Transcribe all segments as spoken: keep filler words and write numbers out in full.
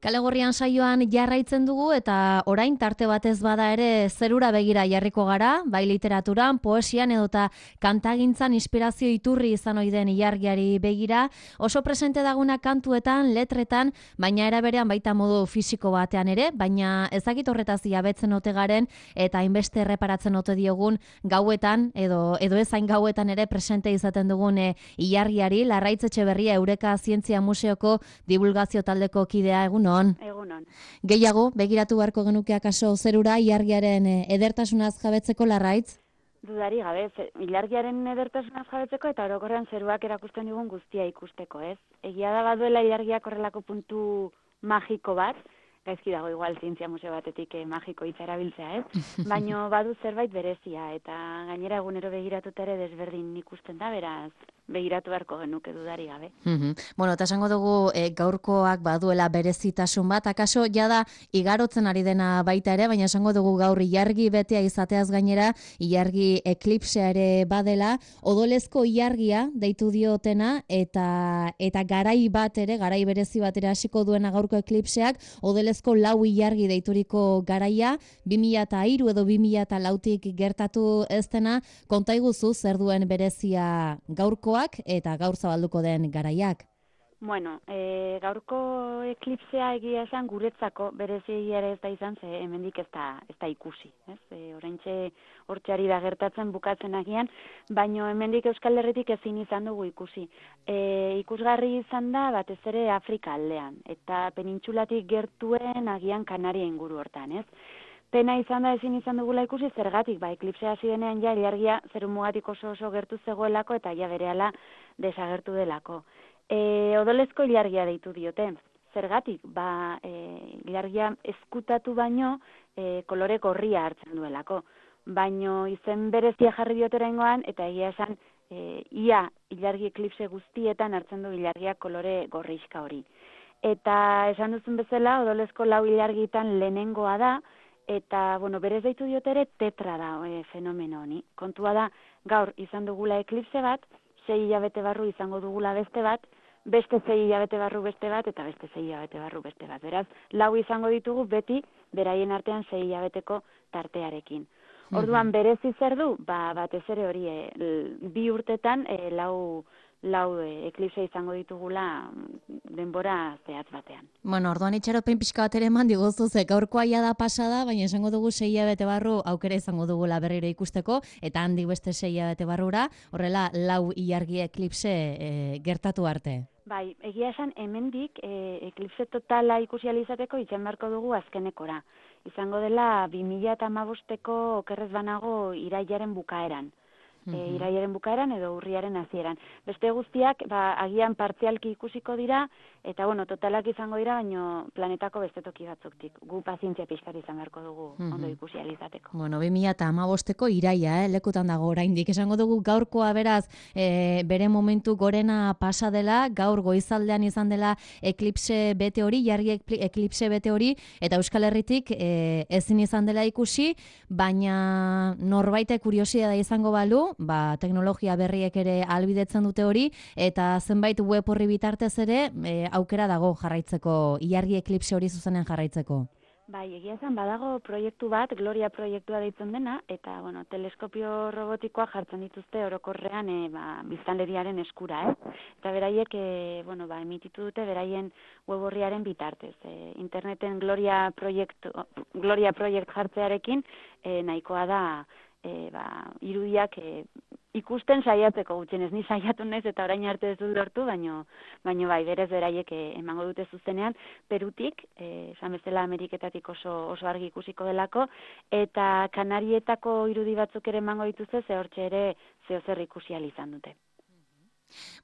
Kalegorrian saioan jarraitzen dugu eta orain tarte batez bada ere zerura begira jarriko gara, bai literaturan, poesian edota kantagintzan inspirazio iturri izan ohi den ilargiari begira, oso presente daguna kantuetan, letretan, baina era berean baita modu fisiko batean ere, baina ezakit horretaz jabetzen ote garen eta hainbeste erreparatzen ote diogun gauetan edo edo ezain gauetan ere presente izaten dugun e, ilargiari. Larraitz Etxeberria Eureka Zientzia Museoko divulgazio taldeko kidea, egun Egunon. Gehiago, begiratu beharko genuke akaso zerura ilargiaren edertasunaz jabetzeko, Larraitz? Dudari gabe, ilargiaren edertasunaz jabetzeko eta orokorrean zeruak erakusten digun guztia ikusteko, ez? Egia da baduela ilargiak horrelako puntu magiko bat, gaizki dago igual zientzia museo batetik eh, magiko hitza erabiltzea, ez? Baino badu zerbait berezia eta gainera egunero begiratuta ere desberdin ikusten da, beraz begiratu beharko genuke dudari gabe. Mm-hmm. Bueno, eta esango dugu e, gaurkoak baduela berezitasun bat, akaso jada igarotzen ari dena baita ere, baina esango dugu gaur ilargi betea izateaz gainera, ilargi eklipsea ere badela, odolezko ilargia deitu diotena, eta eta garai bat ere, garai berezi bat ere hasiko duena gaurko eklipseak, odolezko lau ilargi deituriko garaia, bi mila hiru edo bi mila lautik gertatu ez dena, konta iguzu zer duen berezia gaurkoa eta gaur zabalduko den garaiak. Bueno, e, gaurko eklipsea egia esan guretzako berezia ere ez da izan, ze hemendik ez da, ez da ikusi. Ez? E, oraintxe hortxeari da gertatzen bukatzen agian, baino hemendik Euskal Herritik ezin izan dugu ikusi. E, ikusgarri izan da batez ere Afrika aldean, eta penintxulatik gertuen agian Kanaria inguru hortan, ez? Pena izan da ezin izan dugula ikusi zergatik, ba, eklipsea hasi denean ja ilargia zerumugatik oso oso gertu zegoelako eta ja berehala desagertu delako. E, odolezko ilargia deitu diote. Zergatik, ba, e, ilargia ezkutatu baino e, kolore gorria hartzen duelako. Baino izen berezia jarri dioteraingoan eta egia esan e, ia ilargi eklipse guztietan hartzen du ilargia kolore gorrixka hori. Eta esan duzun bezala, odolezko lau ilargitan lehenengoa da, eta, bueno, berez deitu diote ere tetra da e, fenomeno honi. Kontua da, gaur izan dugula eklipse bat, sei hilabete barru izango dugula beste bat, beste sei hilabete barru beste bat, eta beste sei hilabete barru beste bat. Beraz, lau izango ditugu beti, beraien artean sei hilabeteko tartearekin. Orduan, berezi zer du? Ba, batez ere hori, e, bi urtetan, e, lau... lau e, eklipse izango ditugula denbora zehatz batean. Bueno, orduan itxaropen pixka bat ere eman diguzu, ze gaurkoa ja da pasada, baina esango dugu sei hilabete barru aukera izango dugula berriro ikusteko, eta handik beste sei hilabete barrura, horrela lau ilargi eklipse e, gertatu arte. Bai, egia esan hemendik e, eklipse totala ikusi ahal izateko itxen beharko dugu azkenekora. Izango dela bi mila hamabosteko okerrez banago irailaren bukaeran. E, iraiaren bukaeran edo urriaren hasieran. Beste guztiak, ba, agian partzialki ikusiko dira, eta bueno, totalak izango dira, baino planetako beste toki batzuktik. Gu pazientzia pixkat izan beharko dugu ondo ikusi ahal izateko. Bueno, bi mila hamabosteko iraia, eh, lekutan dago oraindik. Esango dugu gaurkoa beraz, e, bere momentu gorena pasa dela, gaur goizaldean izan dela eklipse bete hori, jargi eklipse bete hori, eta Euskal Herritik e, ezin izan dela ikusi, baina norbaite kuriosia da izango balu, ba, teknologia berriek ere ahalbidetzen dute hori, eta zenbait web horri bitartez ere e, aukera dago jarraitzeko, ilargi eklipse hori zuzenen jarraitzeko. Bai, egia zen badago proiektu bat, Gloria proiektua deitzen dena, eta bueno, teleskopio robotikoa jartzen dituzte orokorrean e, ba, biztanleriaren eskura, eh? Eta beraiek e, bueno, ba, emititu dute beraien web orriaren bitartez. E, interneten Gloria proiektu, Gloria proiekt jartzearekin e, nahikoa da E, ba, irudiak e, ikusten saiatzeko gutxienez, ni saiatu naiz eta orain arte ez dut lortu, baino, baino bai, berez beraiek e, emango dute zuzenean, Perutik, e, esan bezala Ameriketatik oso, oso argi ikusiko delako, eta Kanarietako irudi batzuk ere emango dituzte, ze hortxe ere zeo zer ikusi ahal izan dute.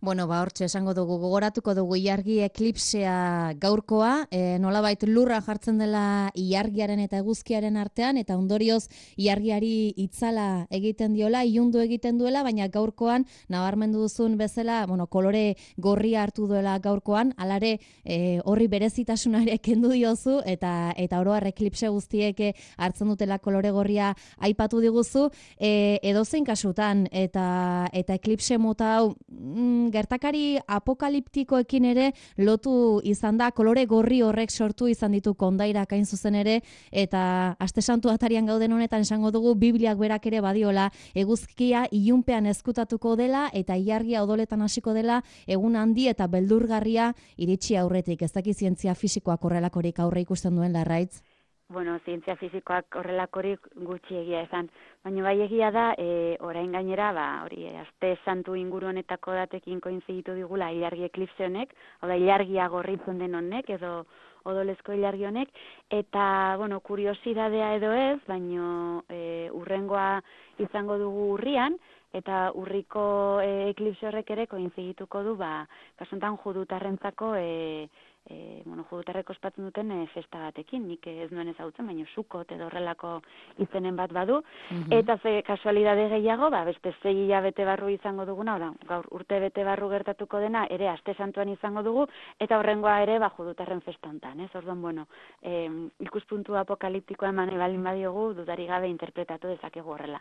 Bueno, ba, hortxe esango dugu, gogoratuko dugu ilargi eklipsea gaurkoa, e, nolabait lurra jartzen dela ilargiaren eta eguzkiaren artean, eta ondorioz ilargiari itzala egiten diola, ilundu egiten duela, baina gaurkoan, nabarmendu duzun bezala, bueno, kolore gorria hartu duela gaurkoan, alare e, horri berezitasunare ere kendu diozu, eta eta oro har eklipse guztiek hartzen dutela kolore gorria aipatu diguzu, e, edozein kasutan, eta, eta eklipse mota hau mm, gertakari apokaliptikoekin ere lotu izan da, kolore gorri horrek sortu izan ditu kondairak hain zuzen ere, eta Aste Santu atarian gauden honetan esango dugu Bibliak berak ere badiola eguzkia ilunpean ezkutatuko dela eta ilargia odoletan hasiko dela egun handi eta beldurgarria iritsi aurretik. Ez daki zientzia fisikoak horrelakorik aurre ikusten duen Larraitz? Bueno, zientzia fisikoak horrelakorik gutxi egia esan, baina bai egia da, e, orain gainera, ba, hori, Aste Santu inguru honetako datekin koinziditu digula ilargi eklipse honek, hau da, ilargia gorritzen den honek, edo odolezko ilargi honek, eta, bueno, kuriosidadea edo ez, baino e, urrengoa izango dugu urrian, eta urriko e, eklipse horrek ere koinzidituko du, ba, kasuntan judutarrentzako, e, E, bueno, judutarrek ospatzen duten e, festa batekin, nik ez nuen ezagutzen, baina Sukot edo horrelako izenen bat badu, mm-hmm. Eta ze kasualidade gehiago, ba, beste zei hilabete barru izango duguna, oda, gaur urte bete barru gertatuko dena, ere Aste Santuan izango dugu, eta horrengoa ere, ba, judutarren festa hontan, ez? Orduan, bueno, e, ikuspuntu apokaliptikoa eman ebalin badiogu, dudari gabe interpretatu dezakegu horrela.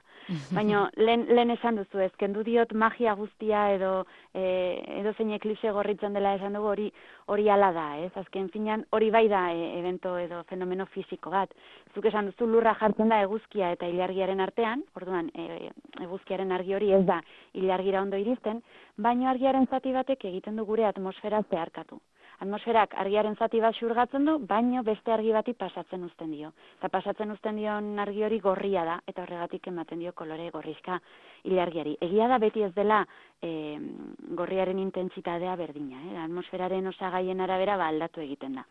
Baina, lehen, lehen esan duzu, ez, kendu diot magia guztia edo, e, edo zein eklipse gorritzen dela esan dugu, hori hori ala da, ez? Azken finean hori bai da e, evento edo fenomeno fisiko bat. Zuk esan duzu lurra jartzen da eguzkia eta ilargiaren artean, orduan e, eguzkiaren argi hori ez da ilargira ondo iristen, baina argiaren zati batek egiten du gure atmosfera zeharkatu. Atmosferak argiaren zati bat xurgatzen du, baino beste argi bati pasatzen uzten dio. Eta pasatzen uzten dion argi hori gorria da, eta horregatik ematen dio kolore gorrizka ilargiari. Egia da beti ez dela e, gorriaren intentsitatea berdina, eh? Atmosferaren osagaien arabera ba aldatu egiten da.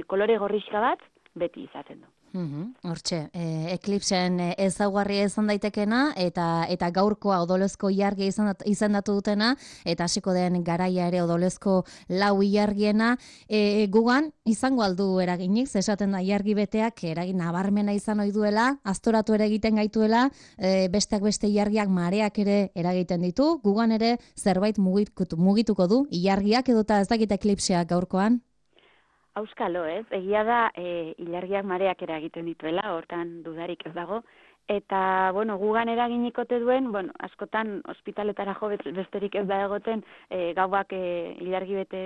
Kolore gorrizka bat beti izaten du. Hortxe, e, eklipsen ezaugarria izan daitekena eta eta gaurkoa odolezko ilargia izendatu dutena eta hasiko den garaia ere odolezko lau ilargiena, e, gugan izango aldu eraginik, esaten da ilargi beteak eragin nabarmena izan ohi duela, aztoratu ere egiten gaituela, e, besteak beste ilargiak mareak ere eragiten ditu, gugan ere zerbait mugituko, mugituko du ilargiak edota ez dakit eklipseak gaurkoan. Auskalo, ez? Egia da, e, ilargiak mareak eragiten dituela, hortan dudarik ez dago, eta, bueno, gugan eraginikote duen, bueno, askotan ospitaletara jo besterik ez da egoten, e, gauak, e, ilargi bete,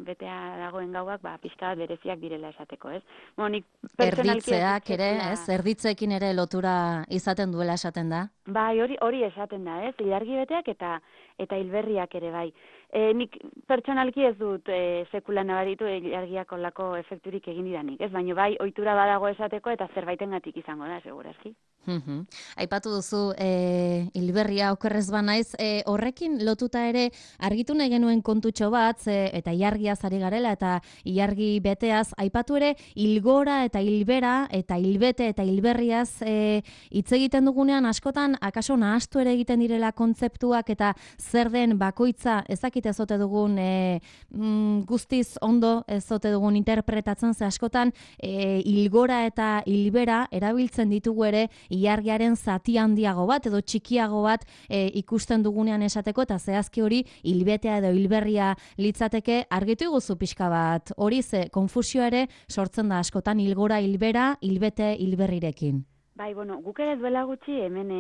betea dagoen gauak, ba, pixka bereziak direla esateko, ez? Bueno, erditzeak ere, ez? Erditzeekin ere lotura izaten duela esaten da? Bai, hori hori esaten da, ez? Ilargi beteak eta eta hilberriak ere bai. E, nik pertsonalki ez dut e, sekula nabaritu ilargiak olako efekturik egin didanik, ez? Baina bai, ohitura badago esateko eta zerbaitengatik izango da, segurazki. Mm-hmm. Aipatu duzu e, hilberria okerrez banaiz, e, horrekin lotuta ere argitu nahi genuen kontutxo bat, e, eta ilargiaz ari garela eta ilargi beteaz, aipatu ere hilgora eta hilbera eta hilbete eta hilberriaz e, hitz egiten dugunean askotan akaso nahastu ere egiten direla kontzeptuak eta zer den bakoitza ezakite ezote dugun e, mm, guztiz ondo ezote dugun interpretatzen, ze askotan e, hilgora eta hilbera erabiltzen ditugu ere ilargiaren zati handiago bat edo txikiago bat e, ikusten dugunean esateko eta zehazki hori hilbetea edo hilberria litzateke argitu iguzu pixka bat. Hori ze konfusioa ere sortzen da askotan hilgora hilbera, hilbete hilberrirekin. Bai, bueno, guk ere duela gutxi hemen e,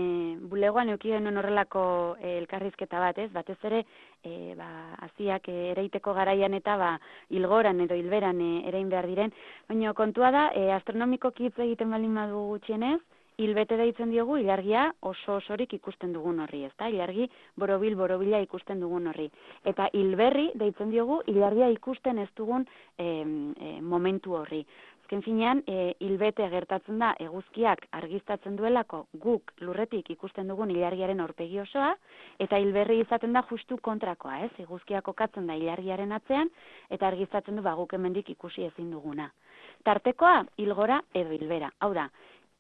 bulegoan euki genuen horrelako e, elkarrizketa bat, ez? Batez ere, e, ba, aziak e, ereiteko garaian eta ba, hilgoran edo hilberan e, erein behar diren. Baina kontua da, e, astronomiko hitz egiten balin badu gutxienez, hilbete deitzen diogu ilargia oso osorik ikusten dugun horri, ezta? Ilargi borobil borobila ikusten dugun horri. Eta hilberri deitzen diogu ilargia ikusten ez dugun e, e, momentu horri. Azken finean, e, hilbete gertatzen da eguzkiak argiztatzen duelako guk lurretik ikusten dugun ilargiaren aurpegi osoa, eta hilberri izaten da justu kontrakoa, ez? Eguzkiak kokatzen da ilargiaren atzean, eta argiztatzen du ba, guk hemendik ikusi ezin duguna. Tartekoa, hilgora edo hilbera. Hau da,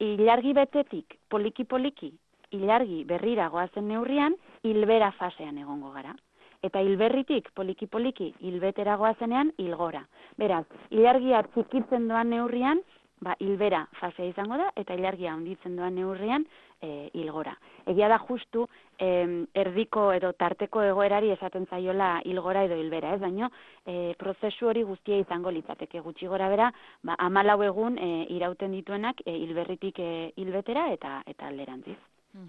ilargi betetik poliki-poliki, ilargi berrira goazen neurrian, hilbera fasean egongo gara. Eta hilberritik poliki-poliki hilbetera goazenean hilgora. Beraz, ilargia txikitzen doan neurrian, ba, hilbera fasea izango da, eta ilargia handitzen doan neurrian e, hilgora. Egia da justu e, erdiko edo tarteko egoerari esaten zaiola hilgora edo hilbera, ez? Baina e, prozesu hori guztia izango litzateke gutxi gora bera, ba, hamalau egun e, irauten dituenak e, hilberritik e, hilbetera eta, eta alderantziz.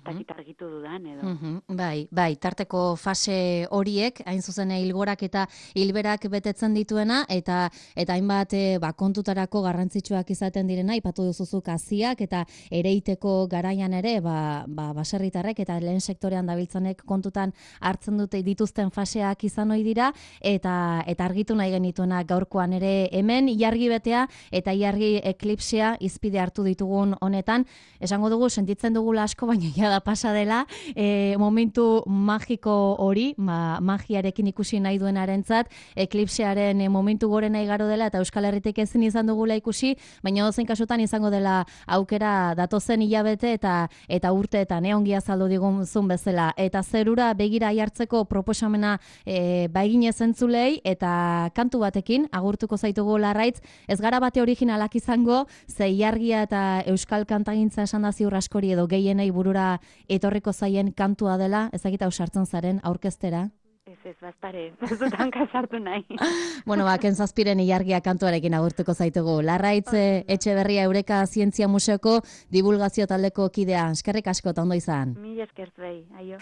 takit argitu dudan edo. Mhm, bai, bai, tarteko fase horiek, hain zuzen hilgorak eta hilberak betetzen dituena, eta eta hainbat e, ba, kontutarako garrantzitsuak izaten direna, aipatu duzuzuk haziak eta ereiteko garaian ere, ba, ba, baserritarrek eta lehen sektorean dabiltzanek kontutan hartzen dute dituzten faseak izan ohi dira, eta eta argitu nahi genituena gaurkoan ere hemen, ilargi betea eta ilargi eklipsea izpide hartu ditugun honetan, esango dugu sentitzen dugula asko, baina ja da pasa dela, e, momentu magiko hori, ma, magiarekin ikusi nahi duenarentzat, eklipsearen e, momentu gorena igaro dela, eta Euskal Herritik ezin izan dugula ikusi, baina dozein kasutan izango dela aukera datozen hilabete eta eta urteetan, e, ongi azaldu digun bezala. Eta zerura begira jartzeko proposamena e, baiginez entzulei, eta kantu batekin, agurtuko zaitugu Larraitz, ez gara bate originalak izango, ze ilargia eta Euskal kantagintza esan da ziur askori edo gehienei burura etorriko zaien kantua dela, ezagita ausartzen zaren aurkeztera? Ez ez, bazpare, bazutan kasartu nahi. Bueno, ba, kentzazpiren ilargia kantuarekin agurtuko zaitugu. Larraitz Etxeberria Eureka Zientzia Museoko divulgazio taldeko kidea. Eskerrik asko, eta ondo izan. Mila esker zuei, aio.